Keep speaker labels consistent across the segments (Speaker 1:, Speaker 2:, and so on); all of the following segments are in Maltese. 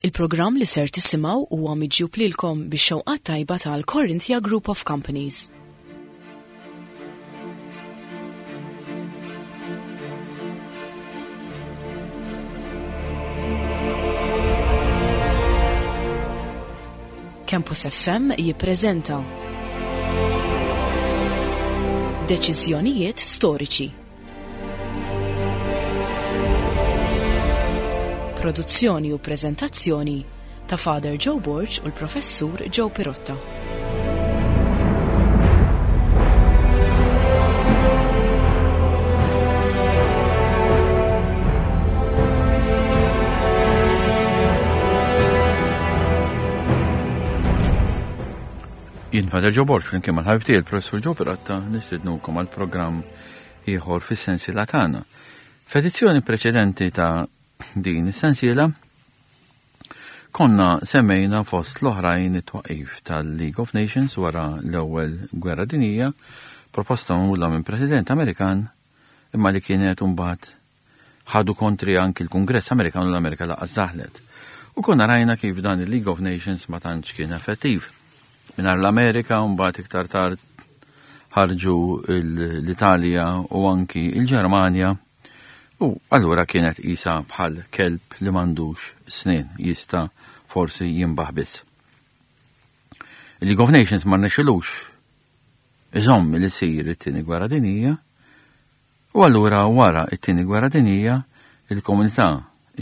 Speaker 1: Il-programm li ser tisimgħu huwa miġjub lilkom bix-xewqat tajba tal-Corinthia Group of Companies. Campus FM jippreżenta Deċiżjonijiet storiċi. Produzzjoni u preżentazzjoni ta' Father Joe Borg u l-Professur Joe Pirotta.
Speaker 2: Jien Father Joe Borg flimkien mal-ħabib tiegħi il-Professur Joe Pirotta nistednukom għal programm ieħor fis-sensiela tagħna. F'edizzjoni preċedenti ta' din is-sensiela konna semmejna fost l-oħrajn it-twaqif tal-League of Nations wara l-ewwel Gwerra Dinjija, proposta magħmula minn President Amerikan imma li kienet imbagħad ħadu kontri anki l-Kungress Amerikan u l-Amerika laqas daħlet. U konna rajna kif dan il-League of Nations ma tantx kien effettiv. Mingħajr l-Amerika mbagħad iktar tard ħarġu l-Italja u anki l-Ġermanja u allura kienet isa bħal kelb li m'għandux snien jista' forsi jinbaħ biss. Il-League of Nations ma rnexxilux iżomm li sir it-tieni gwerra dinjija U allura wara t-Tieni Gwerra Dinjija, il-komunità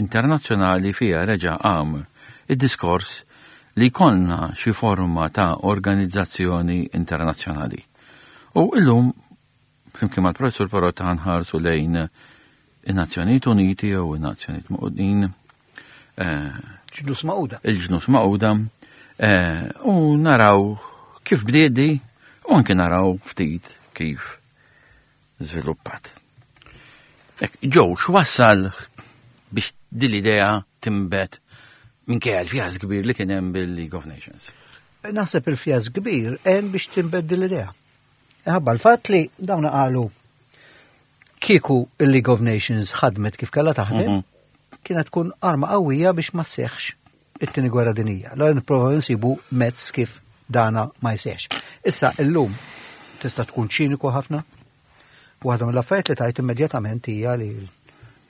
Speaker 2: internazzjonali fiha reġa' qam id-diskors li jkollna xi forma ta' organizzazzjoni internazzjonali. U illum, flimkien mal-Professur Parotta ħa nħarsu lejn in-Nazzjonijiet Uniti jew in-Nazzjonijiet Magħqudin.
Speaker 3: Eh, Ġnus Magħquda.
Speaker 2: Il-ġnus Magħquda. Eh, u naraw kif bdiet di u anke naraw ftit kif żviluppat. Ek, ġew, x'wassal biex din l-idea timbet minkejja l-fjas kbir li kien hemm bil-League of Nations?
Speaker 3: Naħseb il-fjas kbir hemm biex timbet din l-idea. Ħabba l-fatt li dawn qalu kieku il-League of Nations ħadmet kif kellha taħdem, mhm. kienet tkun arma qawwija biex ma sseħħx it-tieni gwerra dinija. Allora nipprova nsibu mezz kif dana ma jseħx. Issa illum tista' tkun ċiniku ħafna. Waħda mill-affarijiet li tajt immedjatament hija li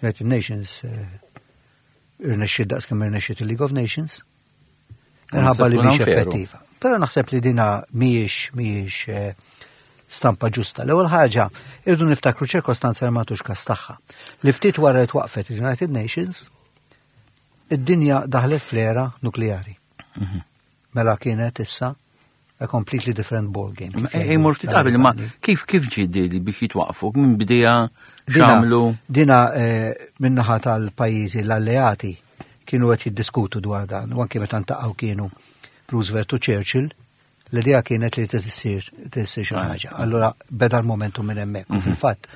Speaker 3: United Nations eh, irnexxiet daqs kemm irnexxiet il-League of Nations. Minħabba li mhix effettiva. Però naħseb li dina mhijiex mhijiex eh, stampa ġusta. L-ewwel ħaġa, irdu niftakru ċirkostanza li ma tux kas tagħha. Li ftit wara li twaqfet il-United Nations, Id-dinja daħlet fl-era nukleari. Mhm. Mela kienet issa a completely different ball game.
Speaker 2: Imur ftit qabel, ma kif kif ġi li biex jitwaqfu minn bidija xamlu?
Speaker 3: Dina eh, minnaħa tal-pajjiżi l-alleati kienu qed jiddiskutu dwar dan, u anke meta ntaqgħu kienu Roosevelt u Churchill, L-idea kienet li tissir tissir xi ħaġa. Allura beda l-momentum minn hemmhekk. U mhm. fil-fatt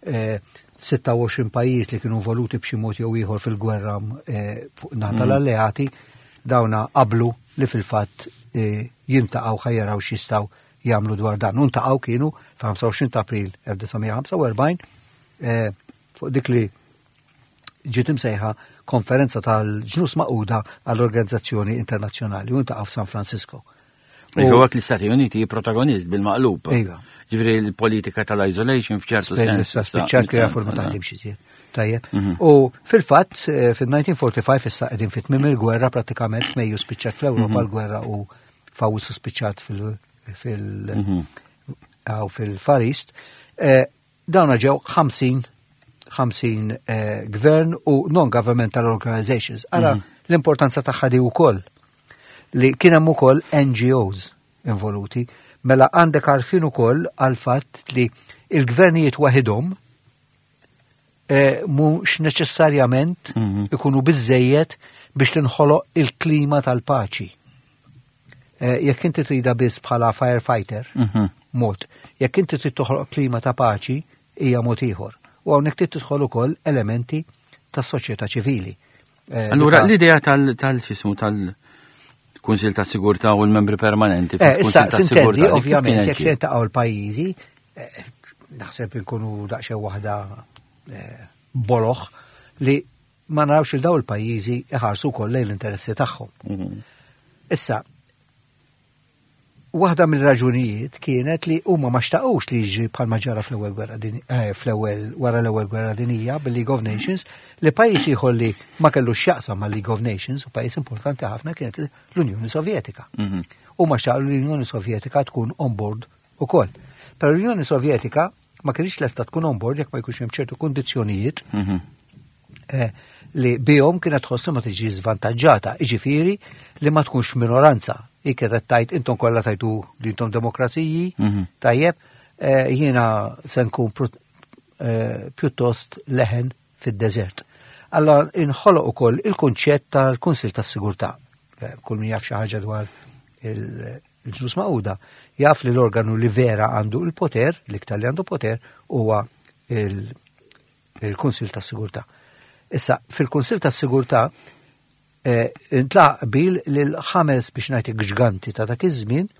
Speaker 3: 26 eh, pajjiż li kienu involuti b'xi mod jew ieħor fil-gwerra eh, fuq naħa mhm. tal-alleati dawna qablu li fil-fatt eh, jintaqgħu ħajjaraw x'jistgħu jagħmlu dwar dan. U ntaqgħu kienu f'25 ta' April 1945 fuq dik li ġiet imsejħa Konferenza tal-Ġnus Magħquda għall-Organizzazzjoni Internazzjonali u ntaqgħu f'San Francisco.
Speaker 2: Iva għak l-Istati Uniti protagonist bil-maqlub.
Speaker 3: Iva.
Speaker 2: Ġifri l-politika tal-isolation f'ċertu sens.
Speaker 3: Spiċċat kif forma taħdem xi żjed. Tajjeb. Mhm. U fil-fatt eh, fil-1945 issa qegħdin fit-tmiem il-gwerra prattikament f'Mejju spiċċat fl-Ewropa mhm. l-gwerra u f'Awwissu spiċċat fil- fil- mhm. fil-Far East. Eh, Dawna ġew 50 50 eh, gvern u non-governmental organizations. Ara mm -hmm. l-importanza tagħha di wkoll li kien hemm ukoll NGOs involuti, mela għandek għarfien ukoll għal fatt li il-gvernijiet waħidhom eh, mhux neċessarjament mm -hmm. ikunu biżejjed biex tinħoloq il-klima tal-paċi. Eh, jekk inti trida biss bħala firefighter, mhm. mod. Jekk inti trid toħloq klima ta' paċi, hija mod ieħor. U hawnhekk trid tidħol ukoll elementi tas-soċjetà ċivili.
Speaker 2: Eh, Allura l-idea tal-xismu tal-Kunsil ta' Sigurtà u l-membri permanenti.
Speaker 3: Eh, issa, sintendi, ovvjament, jekk se jintaqgħu l-pajjiżi, naħseb inkunu daqsxejn waħda boloħ li. ma narawx il daw il-pajjiżi iħarsu wkoll lejn l-interessi tagħhom. Issa, waħda mill-raġunijiet kienet li huma ma xtaqux li jiġri bħalma ġara fl-ewwel gwerra eh, fl-ewwel wara l-ewwel gwerra dinija bil-League of Nations li pajjiż ieħor li ma kellux x'jaqsam mal-League of Nations u pajjiż importanti ħafna kienet l-Unjoni Sovjetika. Huma xtaqu li l-Unjoni Sovjetika tkun on board ukoll. Però l-Unjoni Sovjetika ma kienx lesta tkun on board jekk ma jkunx hemm ċertu kundizzjonijiet mhm. eh, li bihom kienet tħoss li ma tiġi żvantaġġata, jiġifieri li ma tkunx minoranza. Hi kienet tajt intom kollha tajtu li intom demokraziji, mhm. tajjeb, eh, jiena se nkun eh, pjuttost leħen fid-deżert. Allora inħoloq ukoll il-kunċett tal-Kunsil tas-Sigurtà. Kull min jaf xi ħaġa dwar il-ġnus Magħquda jaf li l-organu li vera għandu il-poter, l-iktar li għandu poter, huwa il-Kunsil tas-Sigurtà. Issa, fil-Kunsil tas-Sigurtà eh, intlaq qbil li l-ħames biex ngħid ġganti ta' dak iż-żmien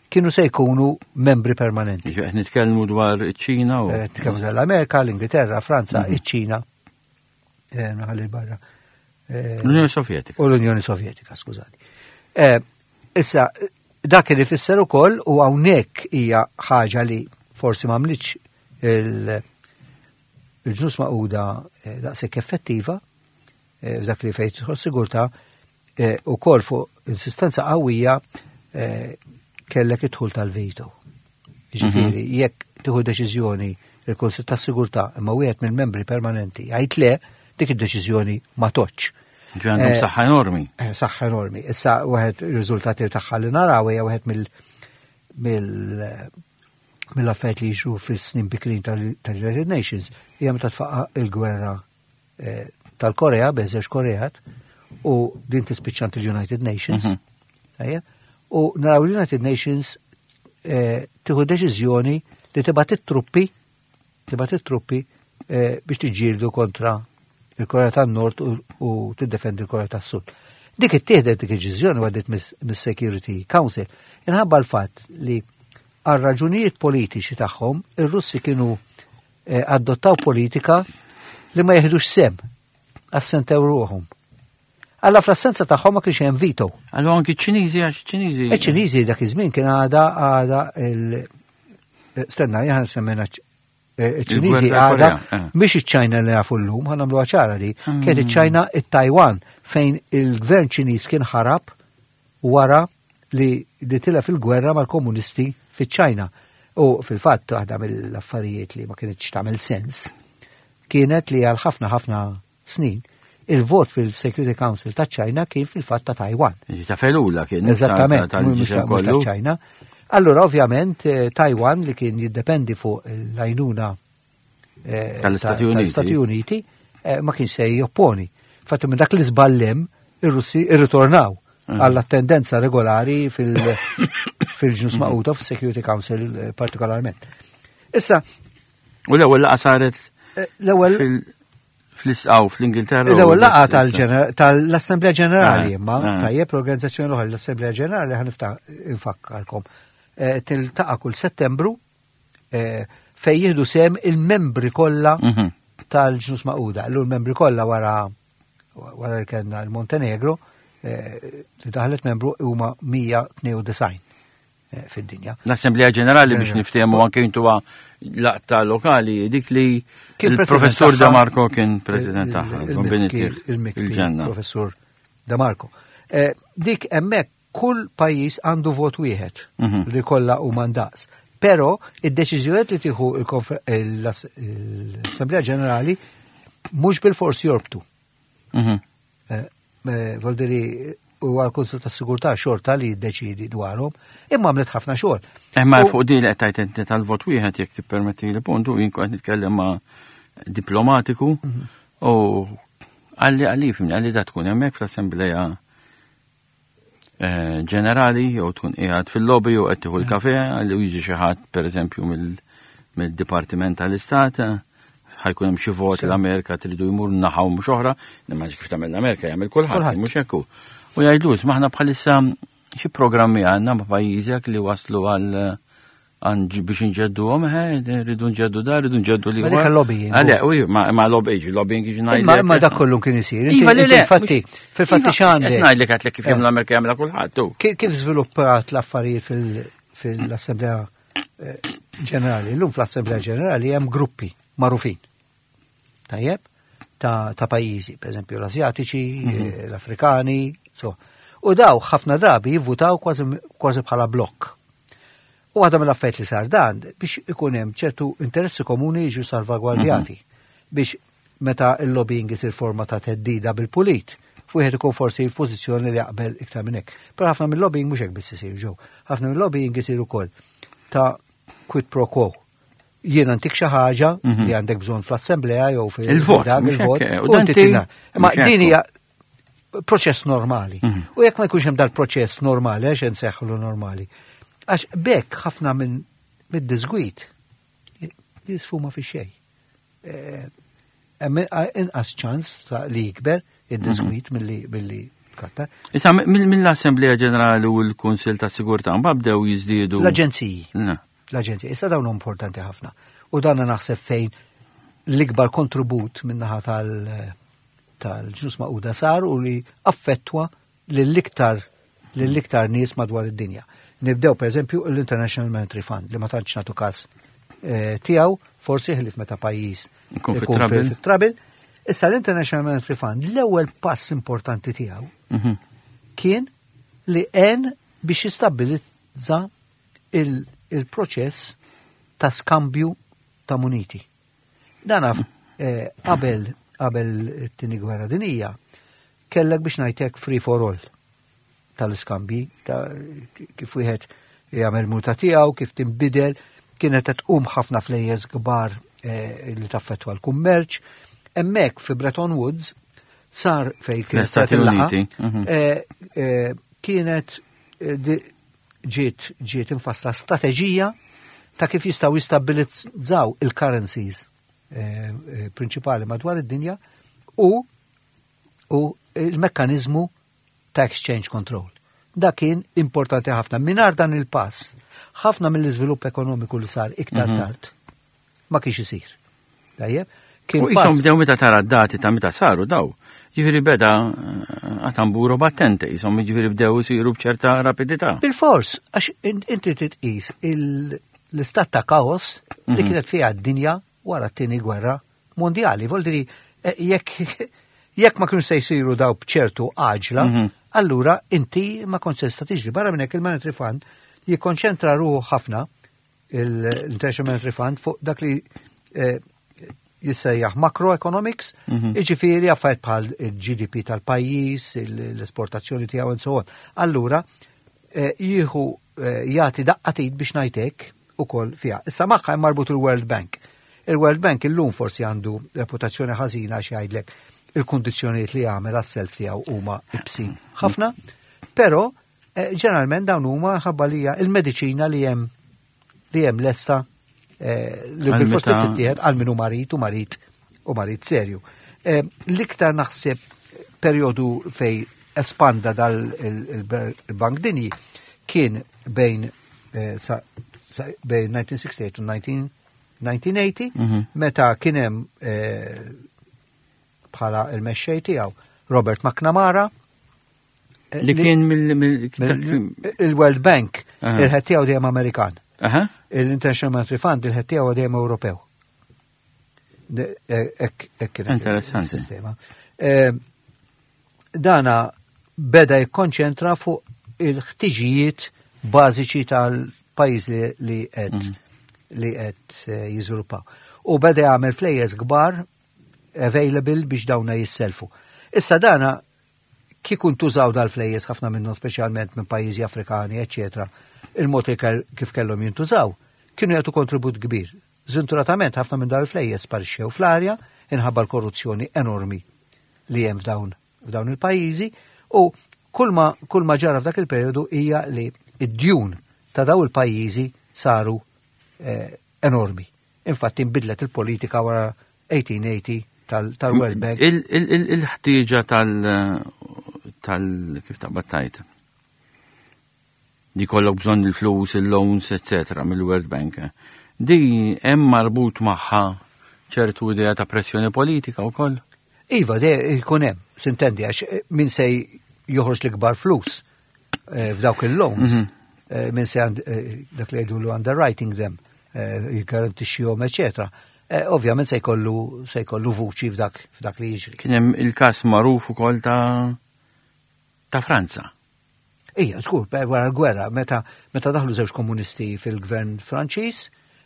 Speaker 3: kienu se jkunu membri permanenti.
Speaker 2: Qed nitkellmu dwar iċ-Ċina u.
Speaker 3: Eh, nitkellmu dwar l-Amerika, l-Ingilterra, Franza, mhm. iċ-Ċina. Eh, naħalli barra.
Speaker 2: Eh, L-Unjoni Sovjetika.
Speaker 3: U l-Unjoni Sovjetika, skużani. Eh, issa, dak li fisser ukoll u hawnhekk hija ħaġa li forsi m'għamlitx il-ġnus maquda daqshekk effettiva f'dak li fejn tidħol sigurtà ukoll fuq insistenza qawwija kellek id-dħul tal-veto. Ġifieri, mhm. jekk tieħu deċiżjoni il-Kunsill tas-Sigurtà imma wieħed mill-membri permanenti jgħid le, dik id-deċiżjoni ma toċċ.
Speaker 2: Ġi għandhom eh, saħħa enormi.
Speaker 3: Eh, saħħa enormi. Issa wieħed ir-riżultati tagħha li naraw hija wieħed mill mill mill-affarijiet li jiġru fis-snin bikrin tal-United Nations hija meta tfaqqa il-gwerra eh, tal-Korea, bejn żewġ Koreat, u din tispiċċant il-United Nations. Mhm. U naraw l-United Nations eh, tieħu deċiżjoni li tibgħat it-truppi tibgħat it-truppi eh, biex tiġġieldu kontra il-Korea tan-Nord u tiddefendi l-Korea tas-Sud. Dik ittieħdet dik id-deċiżjoni għaddiet mis-Security Council inħabba l-fatt li għal raġunijiet politiċi tagħhom ir-Russi kienu Eh, adottaw politika li ma jeħdux sem, assentew ruħhom. Alla fl-assenza tagħhom ma kienx hemm veto.
Speaker 2: Allura anki ċ-Ċiniżi għax ċ-Ċiniżi.
Speaker 3: Iċ-Ċiniżi dak iż-żmien kien għada għada il eh, stenna jħan semmejna eh, iċ-Ċiniżi għada mhix iċ-Ċajna li nafu llum, ħa nagħmluha ċara li hmm. kienet iċ-Ċajna it-Taiwan fejn il-gvern Ċiniż kien ħarab wara li li tilef il-gwerra mal-komunisti fiċ-Ċajna. U fil-fatt waħda mill-affarijiet li ma kienx tagħmel sens kienet li għal ħafna ħafna snin il-vot fil-Security Council ta' ċajna kien fil-fatt ta' Taiwan.
Speaker 2: Ta' felula kien.
Speaker 3: Eżattament, mhux ta' ċajna. Allura ovvjament eh, Taiwan li kien jiddependi fuq l-għajnuna
Speaker 2: eh, tal-Istati Uniti,
Speaker 3: tal Uniti eh, ma kien se jopponi. Fatti minn dak li żballem ir-Russi irritornaw mm. għall-attendenza regolari fil-ġnus mm. maquta fil-Security Council eh, partikolarment. Issa.
Speaker 2: U l-ewwel laqa saret
Speaker 3: l-ewwel
Speaker 2: fl-isqaw fl-Ingilterra.
Speaker 3: L-ewwel laqa tal-Assemblea Ġenerali ah, imma ah. tajjeb l-organizzazzjoni l-oħra l-Assemblea Ġenerali ħanifta infakkarkom. Tiltaqa' kull Settembru eh, fej jieħdu sem il-membri kollha mhm. tal-ġnus maquda. Allura l-membri kollha wara wara li kellna l-Montenegro eh, li daħlet membru huma 192 eh, fid-dinja.
Speaker 2: L-Assemblea Ġenerali biex niftehmu anke intu laqta lokali dik li il-professur Da Marco kien president tagħha,
Speaker 3: il-ġenna. Professur Da Marco. Dik hemmhekk Kull pajjiż għandu vot wieħed mhm. li kollha huma ndaqs. Però id-deċiżjonijiet li tieħu l-Assemblea Ġenerali mhux bil-fors jorbtu. Mhm. Eh, eh, Voldiri u għal-Kunsil ta' Sigurtà xorta li jiddeċidi dwarhom, imma għamlet ħafna xogħol.
Speaker 2: Imma fuq din li qed tgħid inti tal-vot wieħed jekk tippermetti li puntu jien kont nitkellem ma' diplomatiku mhm. u għalli għalli fimni għalli da tkun hemmhekk fl-Assembleja Eh, ġenerali jew tkun qiegħed fil-lobby jew qed tieħu l-kafe li jiġi xi ħadd pereżempju mill-Dipartiment tal-Istat ħajkun hemm xi vot l-Amerika tridu jmur naħa u mhux oħra, imma kif tagħmel l-Amerika jagħmel kulħadd, mhux hekk hu. U jgħidlu maħna bħalissa xi programmi għandna ma' pajjiżek li waslu għal. Għan biex nġeddu għom, rridu nġeddu da, rridu nġeddu li.
Speaker 3: Ma dik lobbying.
Speaker 2: Għale, u ma lobbying, lobbying ġi
Speaker 3: Ma ma dak kollu kien isir.
Speaker 2: Iva, le, le.
Speaker 3: Infatti, fil-fatti
Speaker 2: Iva,
Speaker 3: x'għandek.
Speaker 2: Ngħidlek għatlek kif jagħmlu l-Amerika jagħmilha kulħadd. tu.
Speaker 3: Kif żviluppat l-affarijiet fil-Assemblea Ġenerali? Illum fl-Assemblea Ġenerali hemm gruppi magħrufin. Tajjeb? Ta' pajjiżi, per eżempju l-Asjatiċi, l-Afrikani, so. U daw ħafna drabi jivvutaw kważi bħala blokk. U għadha mill-affarijiet li sar dan biex ikun hemm ċertu interessi komuni jiġu salvagwardjati biex meta il-lobbying isir forma ta' teddida bil-pulit, wieħed ikun forsi f'pożizzjoni li jaqbel iktar minn hekk. Però ħafna mill-lobbying mhux hekk biss isir ġew. Ħafna mill-lobbying isir ukoll ta' quid pro quo. Jiena ntik xi ħaġa li għandek bżonn fl-assemblea jew fil
Speaker 2: Il-vot,
Speaker 3: dak
Speaker 2: mhux
Speaker 3: il-vot.
Speaker 2: hekk, u
Speaker 3: U
Speaker 2: dan
Speaker 3: inti
Speaker 2: ti-
Speaker 3: tina. Ma
Speaker 2: mhux hekk.
Speaker 3: din hija proċess normali. U jekk ma jkunx hemm dal-proċess normali, għax inseħħlu normali. Għax bekk ħafna minn mid-disgwit jisfuma fi xejn. Hemm inqas ċans ta' li jikber id-disgwit milli katta.
Speaker 2: Issa mill-Assemblea Ġenerali u l-Kunsil ta' Sigurtà mbagħad bdew jiżdiedu.
Speaker 3: L-aġenziji.
Speaker 2: Na.
Speaker 3: L-aġenziji. Issa dawn huma importanti ħafna. U dan naħseb fejn l-ikbar kontribut min-naħa tal-ġnus Magħquda sar u li affettwa lill-iktar nies madwar id-dinja. Nibdew per eżempju l-International Monetary Fund li ma tantx nagħtu każ tiegħu, forsi ħlief meta pajjiż
Speaker 2: Ikun
Speaker 3: ikun
Speaker 2: fit-trouble.
Speaker 3: fit-trouble. Issa l-International Monetary Fund l-ewwel pass importanti tiegħu kien li għen biex jistabbilizza il-proċess ta' skambju ta' muniti. Dan qabel it-tieni gwerra dinija kellek biex ngħidlek free for all tal-iskambji, ta' kif wieħed jagħmel muta tiegħu, kif tinbidel, kienet qed tqum ħafna flejjes kbar li taffettwa l-kummerċ. Hemmhekk fi Bretton Woods sar fej kienet
Speaker 2: Fl-Istati
Speaker 3: sar il-laqgħa,
Speaker 2: Uniti,
Speaker 3: kienet ġiet infassla strateġija ta' kif jistgħu jistabbilizzaw il-currencies prinċipali madwar id-dinja u il-mekkanizmu ta' exchange control. Da kien importanti ħafna. Mingħajr dan il-pass, ħafna mill-iżvilupp ekonomiku li sar iktar tard ma kienx isir. Tajjeb? Kien
Speaker 2: U jisom
Speaker 3: pass
Speaker 2: bdew meta tara d-dati ta' meta saru daw. Ġifieri beda għatamburo battente, jisom ġifieri bdew isiru b'ċerta rapidità.
Speaker 3: Bil-fors, għax inti titqis l-istat ta' kaos li kienet fiha d-dinja wara t-tieni gwerra mondjali. Vuol dire jekk ma kienu se jsiru daw b'ċertu għaġla, allura inti ma kont se tista' tiġri. Barra minn hekk il-Monetary Fund jikkonċentra ruħu ħafna l-International Monetary Fund fuq dak li jissejjaħ macroeconomics, jiġifieri affarijiet bħal il-GDP tal-pajjiż, l-esportazzjoni tiegħu and so on. Allura jieħu jagħti daqqatit biex ngħidlek ukoll fiha. Issa magħha hemm marbut il-World Bank. Il-World Bank illum forsi għandu reputazzjoni ħażina għax jgħidlek il-kundizzjonijiet li jagħmel għas-self tiegħu huma ibsin ħafna, però ġeneralment dawn huma ħabba li hija il-mediċina li hemm li hemm lesta li
Speaker 2: Għal
Speaker 3: bil-fost
Speaker 2: meta
Speaker 3: tittieħed għal min hu marid u marid u marid serju. L-iktar naħseb perjodu fej espanda dal il-Bank Dinji kien bejn 1968 u 1980, meta kien hemm bħala il-mexxej tiegħu Robert McNamara,
Speaker 2: Li kien mill-
Speaker 3: il-World Bank, il-ħed tiegħu dejjem Amerikan. Il-International Monetary Fund il-ħed tiegħu dejjem Ewropew. Ek kienet il-sistema. Dana beda jikkonċentra fuq il-ħtiġijiet bażiċi tal-pajjiż li qed li qed jiżviluppaw. U beda jagħmel flejjes kbar available biex dawna jisselfu. Issa dana kieku ntużaw dal-flejjes ħafna minnhom speċjalment minn pajjiżi Afrikani, eċċetera, il-mod kif kellhom jintużaw, kienu jagħtu kontribut kbir. Żventuratament ħafna minn dal-flejjes sparixxew fl-arja inħabba l-korruzzjoni enormi li hemm f'dawn il-pajjiżi u kull ma ġara f'dak il-perjodu hija li id-djun ta' daw il-pajjiżi saru enormi. Infatti nbidlet il-politika wara 1880 tal-World Bank.
Speaker 2: Il-ħtieġa tal kif taqbad tajt? Di kollok bżonn il-flus, il-loans, eccetera, mill-World Bank. Di hemm marbut magħha ċertu idea ta' pressjoni politika wkoll?
Speaker 3: Iva, de jkun hemm, sintendi, għax eh, min se joħroġ l-ikbar flus eh, f'dawk il-loans, mhm. eh, min se dak li jgħidu underwriting them, jgarantixxihom, eċetera. Ovvjament se jkollu se jkollu vuċi f'dak f'dak li jiġri.
Speaker 2: Kien hemm il-każ magħruf ukoll ta' ta' Franza.
Speaker 3: Ija, żgur, wara l-gwerra, meta meta daħlu żewġ komunisti fil-gvern Franċiż,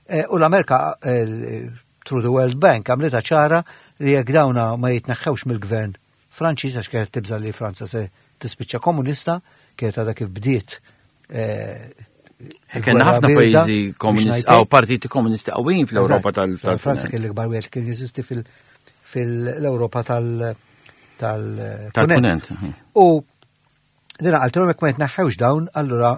Speaker 3: eh, u l-Amerika eh, through the World Bank għamlitha ċara li jekk dawna ma jitneħħewx mill-gvern Franċiż għax kienet tibża li Franza se tispiċċa komunista, kienet għadha kif bdiet eh,
Speaker 2: Kenna ħafna pajjiżi komunisti, għaw partiti komunisti qawwin fl-Ewropa tal
Speaker 3: Franza kien l-ikbar wieħed kien jeżisti fil-Ewropa tal-Punent. U Dina qaltilhom jekk ma jitneħħewx dawn, allura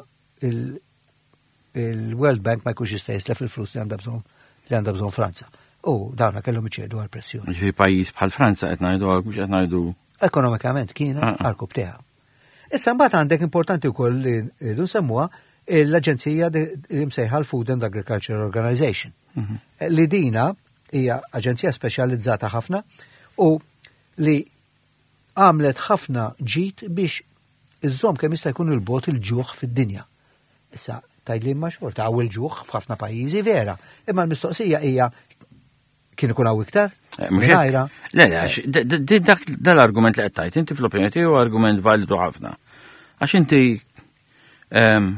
Speaker 3: il-World Bank ma jkunx jista' jislef il-flus li għandha bżonn li għandha bżonn Franza. U dawna kellhom iċedu għal pressjoni.
Speaker 2: Ġifieri pajjiż bħal Franza qed ngħidu mhux qed ngħidu.
Speaker 3: Ekonomikament kienet ah, ah. għal teha. Issa mbagħad għandek importanti wkoll li rridu nsemmuha l-aġenzija li msejħa l-Food and Agriculture Organization. Mhm. Li dina hija aġenzija speċjalizzata ħafna u li għamlet ħafna ġid biex iżżomm kemm jista' jkun il-bogħod il-ġuħ fid-dinja. Issa, tgħidli imma xorta hawn il-ġuħ f'ħafna pajjiżi vera, imma l-mistoqsija hija kien ikun hawn iktar?
Speaker 2: Eh, mhux Le, le, eh. dak dal-argument li qed tgħid, inti fl-opinjoni tiegħu argument validu ħafna. Għax inti ehm,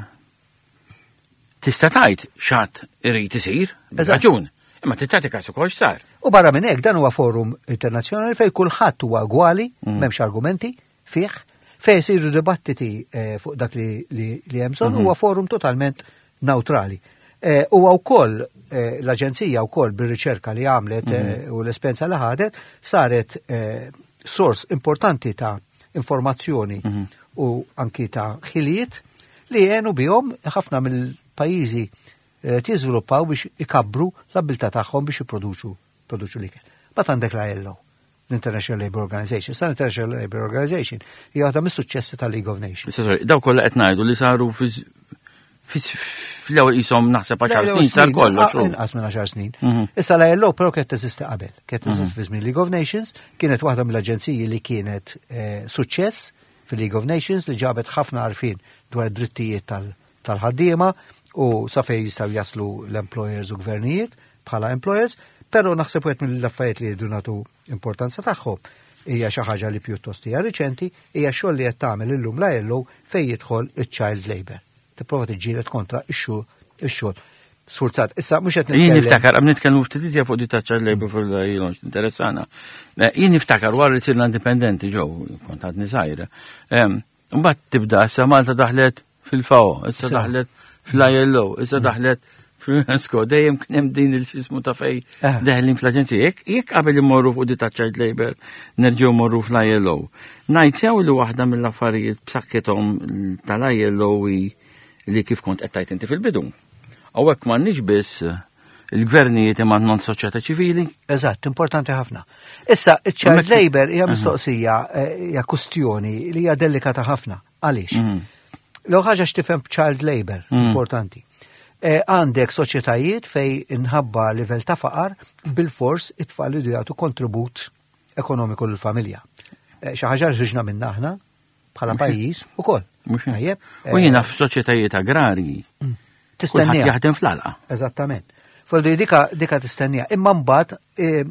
Speaker 2: Tista' tgħid x'għad irid isir, raġun, imma trid tagħti każ ukoll x'sar.
Speaker 3: U barra minn hekk dan huwa forum internazzjonali fejn kulħadd huwa gwali, mm. m'hemmx argumenti fih, fejn isiru dibattiti eh, fuq dak li hemm bżonn mhm. huwa forum totalment neutrali. Eh, huwa wkoll eh, l-aġenzija wkoll bir-riċerka li għamlet mhm. u l-esperjenza li ħadet saret sors importanti ta' informazzjoni mhm. u anki ta' ħiliet li għenu bihom ħafna mill-pajjiżi eh, tiżviluppaw biex ikabbru l-abilità tagħhom biex jipproduċu produċu l-ikel. Bat għandek la ILO, l-International Labour Organization. Sa l-International Labour Organization hija waħda mis-suċċessi tal-League of Nations.
Speaker 2: Sorry, daw kollha qed ngħidu li saru fl-ewwel qishom naħseb għaxar snin sar kollox.
Speaker 3: Inqas minn għaxar snin. Mhm. Issa la ILO però kienet teżisti qabel, kienet teżisti mhm. fi żmien League of Nations, kienet waħda mill-aġenziji li kienet eh, suċċess fil-League of Nations li ġabet ħafna għarfien dwar id-drittijiet tal-ħaddiema u sa fejn jistgħu jaslu l-employers u gvernijiet bħala employers, però naħseb wieħed mill-affarijiet li jridu nagħtu importanza tagħhom hija xi ħaġa li pjuttost hija riċenti, hija xogħol li qed tagħmel illum la jellu fejn jidħol iċ-child labor. Tipprova tiġġieled kontra ix-xogħol sfurzat. Issa mhux qed
Speaker 2: nitkellem. Jien niftakar, għam nitkellmu ftit iżjed fuq di ta' child labor fil-launch interessana. Eh, jien niftakar wara li sirna indipendenti ġew, kont għadni żgħir. Mbagħad tibda issa Malta daħlet fil-FAO, issa daħlet fl-ILO, issa mm. daħlet fl-UNESCO, dejjem kien hemm din il-xismu ta' fej eh. deħlin fl-aġenzija. Jekk qabel imorru fuq di ta' child labor, nerġgħu morru fl-ILO. Ngħid sew li waħda mill-affarijiet b'saħħithom tal-ILO li kif kont qed tgħid inti fil-bidu. Hawnhekk m'għandniex biss il-gvernijiet imma non soċjetà ċivili.
Speaker 3: Eżatt, importanti ħafna. Issa, iċ-child labor hija mistoqsija, eh, hija kustjoni li hija delikata ħafna. Għaliex? Mhm. L ħaġa x'tifhem child labor, mhm. importanti. Eh, għandek soċjetajiet fej inħabba livell ta' faqar bil-fors it-tfal li jagħtu kontribut ekonomiku lill-familja. Eh, xi ħaġa ħriġna minna aħna bħala pajjiż ukoll.
Speaker 2: Mhux tajjeb. U jiena eh, f'soċjetajiet agrarji. Mm. Tistennija. jaħdem fl-alqa.
Speaker 3: Eżattament. Foldi dika dika tistennija. Imma mbagħad eh,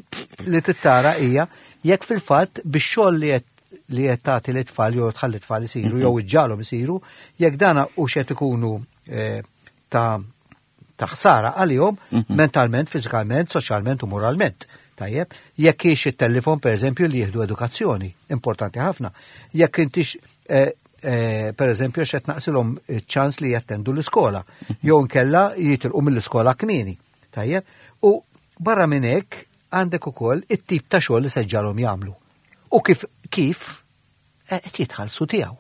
Speaker 3: li tittara hija jekk fil-fatt bix-xogħol li qed li qed tagħti l-itfal jew tħalli tfal isiru mhm. jew iġġalhom isiru, jekk dana u xed ikunu eh, ta' ta' ħsara għalihom mhm. mentalment, fiżikament, soċjalment u moralment. Tajjeb, jekk hiex it-telefon pereżempju li jieħdu edukazzjoni, importanti ħafna. Jekk intix eh, eh, pereżempju x'qed naqsilhom ċans li jattendu l-iskola, mhm. jew nkella jitilqu mill-iskola kmieni. Tajjeb, u barra minn hekk għandek ukoll it-tip ta' xogħol li seġġalhom jagħmlu. U kif kif qed jitħallsu tiegħu.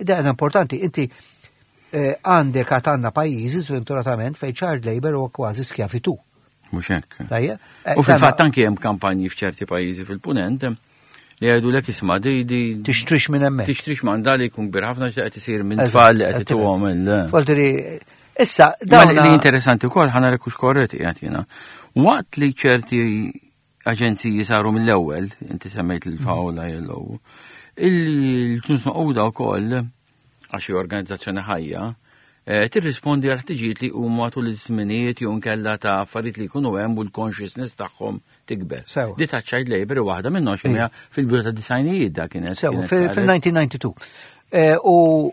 Speaker 3: Dan importanti, inti eh, għandek għad għandna pajjiżi sventuratament fejn child labor huwa kważi skjavitu.
Speaker 2: Mhux hekk. Eh, u fil-fatt anke hemm kampanji f'ċerti pajjiżi fil-punent eh, Li jgħidulek isma' di di
Speaker 3: Tixtrix minn hemmhekk.
Speaker 2: Tixtrix ma li jkun kbir ħafna x'qed qed isir minn tfal li qed ituhom il.
Speaker 3: Voldiri, issa
Speaker 2: dawn. Li interessanti wkoll ħa nara kux korrett qiegħed jiena. Waqt li ċerti aġenziji saru mill-ewwel, inti semmejt il-FAO l-ILO, il-ġnus maquda wkoll għax hi organizzazzjoni ħajja, eh, tirrispondi għal ħtiġijiet li huma tul iż-żminijiet jew nkella ta' affarijiet li jkunu hemm u l-consciousness tagħhom tikber. Di ta' child labor waħda minnhom xi fil-bidu ta' disajnijiet da kienet.
Speaker 3: Sewa, fil-1992. Eh, u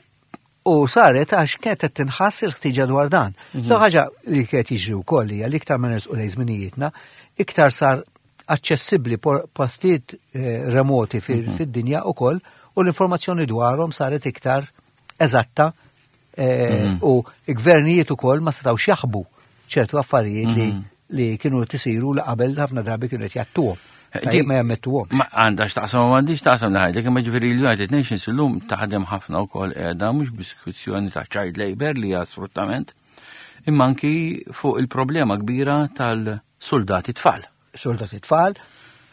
Speaker 3: U saret għax kienet qed tinħass il-ħtiġa dwar dan. Mm Ħaġa li kienet jiġri wkoll hija li iktar ma nersqu lejn żminijietna, iktar sar aċċessibbli postijiet eh, remoti mhm. fid-dinja ukoll u l-informazzjoni dwarhom saret iktar eżatta eh, mhm. u gvernijiet ukoll ma setgħux jaħbu ċertu affarijiet li mhm. li kienu tisiru li qabel ħafna drabi kienu qed jattuhom. Eh, ma jammettuhomx.
Speaker 2: Ma għandha x'taqsam ma għandix taqsam li ħajdek, imma ġifieri l-United Nations illum taħdem ħafna wkoll qiegħda mhux biss kwistjoni ta' child labor li hija sfruttament, imma anki fuq il-problema kbira tal-soldati tfal.
Speaker 3: Soldati tfal.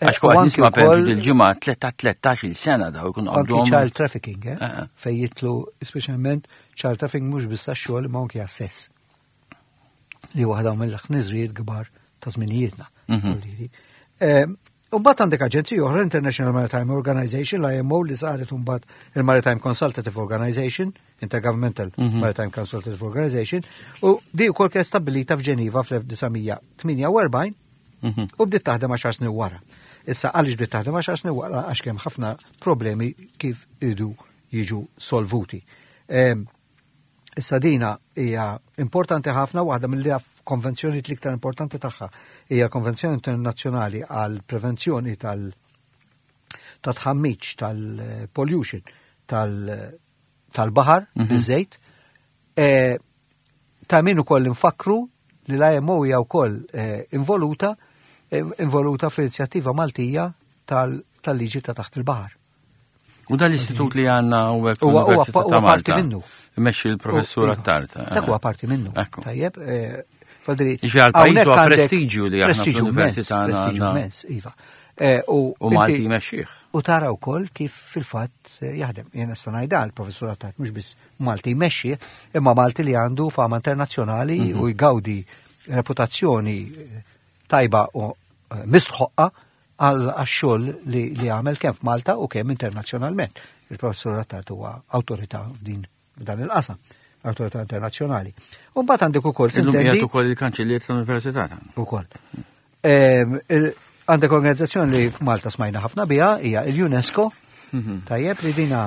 Speaker 2: Eh, Għax kont nisma' per il-ġimgħa 13 sena daw ikun
Speaker 3: għandhom. Anki child trafficking, eh? eh, eh. Fej jitlu speċjalment child trafficking mhux biss għax-xogħol imma anki għas-sess. Li waħda mill-ħniżrijiet kbar ta' żminijietna. Mhm. Umbat għandek aġenzija oħra, International Maritime Organization, l-IMO, li saret umbat il-Maritime Consultative Organization, Intergovernmental mm -hmm. Maritime Consultative Organization, u di wkoll kienet stabilita f'Ġeniva fl-1948 mm -hmm. u bdiet taħdem għaxar snin wara. Issa għaliex bdiet taħdem għaxar snin wara għax kemm ħafna problemi kif idu jiġu solvuti. Issa dina hija importanti ħafna waħda mill konvenzjoni l-iktar importanti tagħha hija l-Konvenzjoni Internazzjonali għal Prevenzjoni tal ta' tħammiċ tal-pollution tal-baħar mhm. biż-żejt. E, ta' min ukoll infakru li l-IMO hija wkoll e, involuta e, involuta fl-inizjattiva Maltija tal-liġi ta' taħt il-baħar.
Speaker 2: U dan l-istitut li għanna u
Speaker 3: għek huwa parti minnu.
Speaker 2: Imexxi l-professur iva. Attard.
Speaker 3: Dak huwa parti minnu. Tajjeb,
Speaker 2: Fadri. Iġi għal-pajis huwa prestiġju li
Speaker 3: għandna fl-università. Prestiġju immens, iva.
Speaker 2: Eh, u Malti jmexxih.
Speaker 3: U tara wkoll kif fil-fatt eh, jaħdem. Jien nista' ngħidha l-professur Attard mhux biss Malti jmexxi, imma Malti li għandu fama internazzjonali mhm. u jgawdi reputazzjoni eh, tajba u mistħoqqa għal xogħol li għamel kemm f'Malta u kemm internazzjonalment. Il-professur Attard huwa awtorità f'din f'dan il-qasam, awtorità internazzjonali. U mbagħad għandek ukoll
Speaker 2: sintendi. ukoll il-kanċellier tal-Università.
Speaker 3: Ukoll. Ehm, għandek organizzazzjoni li f'Malta smajna ħafna biha hija il-UNESCO. Mhm. Tajjeb li dina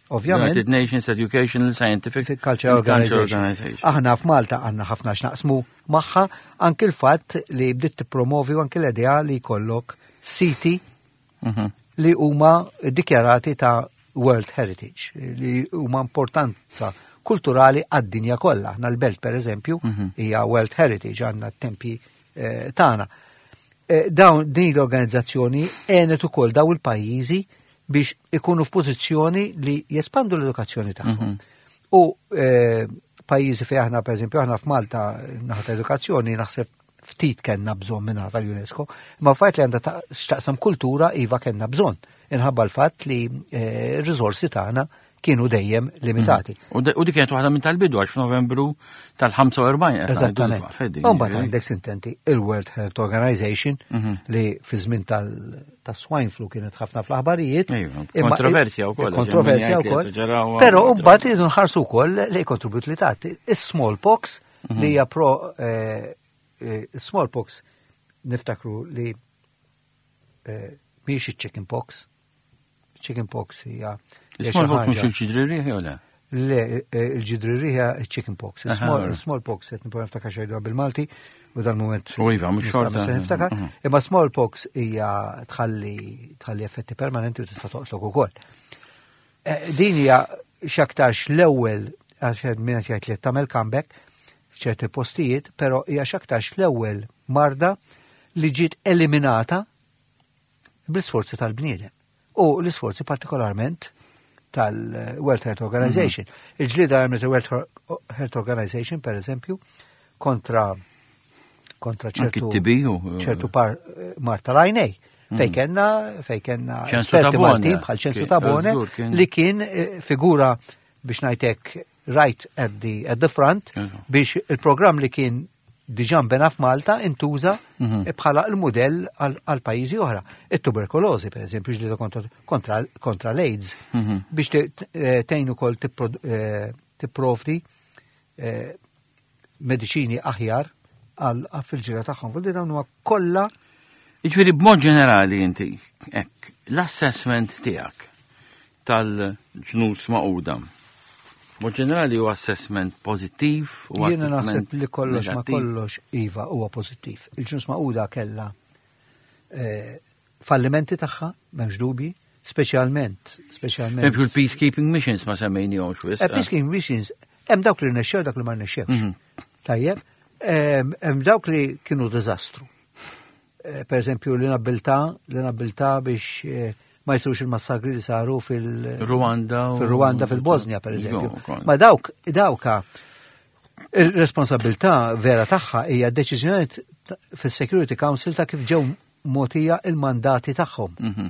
Speaker 3: ovvjament.
Speaker 2: United Nations Educational Scientific
Speaker 3: Culture Organization. Aħna f'Malta għandna ħafna x'naqsmu magħha anki l-fatt li bdiet tippromovi anki l-idea li jkollok siti mhm. li huma dikjarati ta' World Heritage, li huma importanza kulturali għad-dinja kollha. Aħna l-belt per eżempju mhm. hija World Heritage għandna t-tempji eh, tagħna. Eh, dawn din l-organizzazzjoni għenet ukoll daw il-pajjiżi biex ikunu f'pożizzjoni li jespandu l-edukazzjoni tagħhom. Mhm. U eh, pajjiżi fejn aħna pereżempju aħna f'Malta naħa edukazzjoni naħseb ftit kellna bżonn minn tal-UNESCO, imma fajt li għandha x'taqsam kultura iva kellna bżonn. Inħabba l-fatt li eh, r-riżorsi tagħna kienu dejjem limitati.
Speaker 2: Mm. U dik kienet waħda minn tal-bidu għax f'Novembru tal-45.
Speaker 3: Eżattament. Mbagħad għandek sintenti il-World Health Organization mhm. li fi żmien tas-swine flu kienet ħafna fl-aħbarijiet.
Speaker 2: Kontroversja wkoll.
Speaker 3: Kontroversja wkoll. Però mbagħad iridu nħarsu wkoll li kontribut li tagħti. Is-smallpox mhm. li hija pro eh, eh, smallpox niftakru li eh, mhijiex iċ-chicken pox. Chicken pox hija.
Speaker 2: Smallpox mhux il-ġidri riħ jew le?
Speaker 3: Le, il-ġidri riħ hija chicken pox. Smallpox qed nipprova niftakar xejdu bil-Malti u dal-moment.
Speaker 2: U iva, mhux xorta.
Speaker 3: Niftakar. Mhm. Imma smallpox hija tħalli tħalli effetti permanenti u tista' toqtlok ukoll. Eh, din hija x'aktarx l-ewwel għax min qed jgħid li tagħmel comeback f'ċerti postijiet, però hija x'aktarx l-ewwel marda li ġiet eliminata bl-isforzi tal-bniedem. U l-isforzi partikolarment tal-World Health Organization. Mhm. Il-ġlida għamlet il-World Health Organization, per eżempju, kontra kontra ċertu ċertu par mar tal-għajnej. Fej kellna fej kellna esperti Maltin bħal Ċensu Tabone li kien eh, figura biex ngħidlek right at the, at the front biex il-programm li kien diġà nbena f'Malta intuża mhm. bħala l-mudell għal pajjiżi oħra. It-tuberkulożi, per eżempju, ġlieda kontra, kontra l-AIDS, mhm. biex eh, tgħin ukoll eh, tipprovdi eh, mediċini aħjar għal fil-ġira tagħhom. Vuol dawn huwa kollha
Speaker 2: Jiġifieri b'mod ġenerali inti, hekk, l-assessment tiegħek tal-ġnus Magħquda. Mod ġenerali huwa assessment pożittiv
Speaker 3: u Jiena naħseb li kollox ma kollox iva huwa pożittiv. Il-ġnus Magħquda kellha eh, fallimenti tagħha, m'hemmx dubji, speċjalment, speċjalment.
Speaker 2: Eżempju l-peacekeeping missions ma semmejnihomx
Speaker 3: wisq. Eh, peacekeeping missions hemm dawk li rnexxew dak li ma rnexxewx. Mhm. Tajjeb, hemm dawk li kienu diżastru. Eh, per eżempju l-inabilità, l-inabilità biex eh, ma jsirux il-massakri li saru
Speaker 2: fil-Rwanda,
Speaker 3: fil-Rwanda, fil-Bosnia, per eżempju. Ma dawk, dawka, il-responsabilità vera tagħha hija deċiżjoni fis-Security Council ta' kif ġew mogħtija il-mandati tagħhom. Mhm.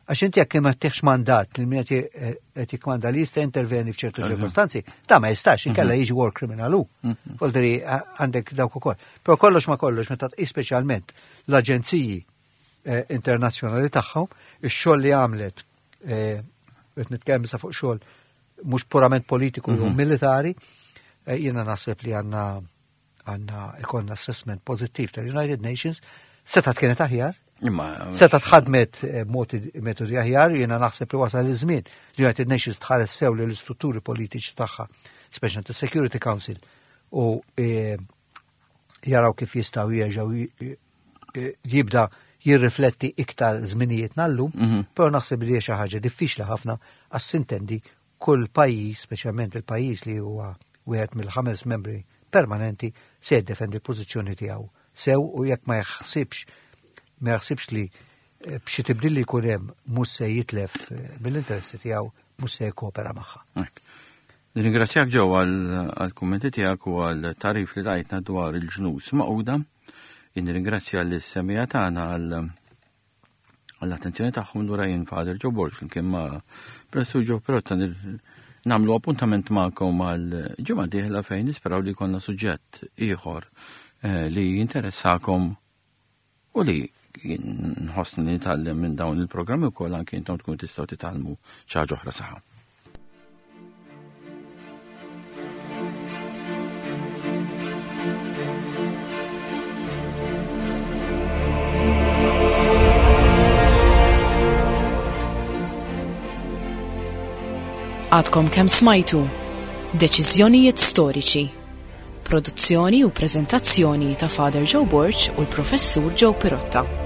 Speaker 3: Għax inti jekk ma tieħx mandat li min qed jikkmanda li jista' interveni f'ċertu ċirkostanzi, ta' ma jistax, inkella mhm. jiġi war criminal hu. Mhm. Volderi għandek dawk ukoll. Però kollox ma kollox meta tqis speċjalment l-aġenziji eh, internazzjonali tagħhom, ix-xogħol li għamlet eh, qed nitkellem sa fuq xogħol mhux purament politiku jew mhm. militari, eh, jiena naħseb li għandna għandna ikonna assessment pożittiv tal-United Nations, setat kienet aħjar,
Speaker 2: Imma
Speaker 3: Seta tħadmet eh, metodi aħjar, jiena naħseb li wasal iż-żmien li United Nations tħares sew li l-istrutturi politiċi tagħha, speċjalment is-Security Council, u eh, jaraw kif jistgħu jerġgħu eh, jibda jirrifletti iktar żminijiet nallum, mhm. però naħseb li xi ħaġa diffiċli ħafna għas sintendi kull pajjiż, speċjalment il-pajjiż li huwa wieħed mill-ħames membri permanenti, se jiddefendi l-pożizzjoni tiegħu sew u jekk ma jaħsibx ma jaħsibx li eh, b'xi tibdil li jkun hemm mhux se jitlef eh, mill-interessi tiegħu mhux se jikkopera magħha.
Speaker 2: Nirringrazzjak ġew għall-kummenti tiegħek u għall-tarif li tajtna dwar il-ġnus maquda. Nirringrazzja l-semija tagħna għal għall-attenzjoni tagħhom lura jien Father Joe Borg flimkien ma' Professur Joe Perotta nagħmlu appuntament magħkom għal ġimgħa dieħla fejn nisperaw li jkollna suġġett ieħor eh, li jinteressakom u li nħossni nitgħallem minn dawn il-programmi wkoll anke intom tkunu tistgħu titgħallmu xi ħaġa oħra saħħa.
Speaker 1: Għadkom kemm smajtu Deċiżjonijiet storiċi. Produzzjoni u preżentazzjoni ta' Father Joe Borg u l-Professur Joe Pirotta.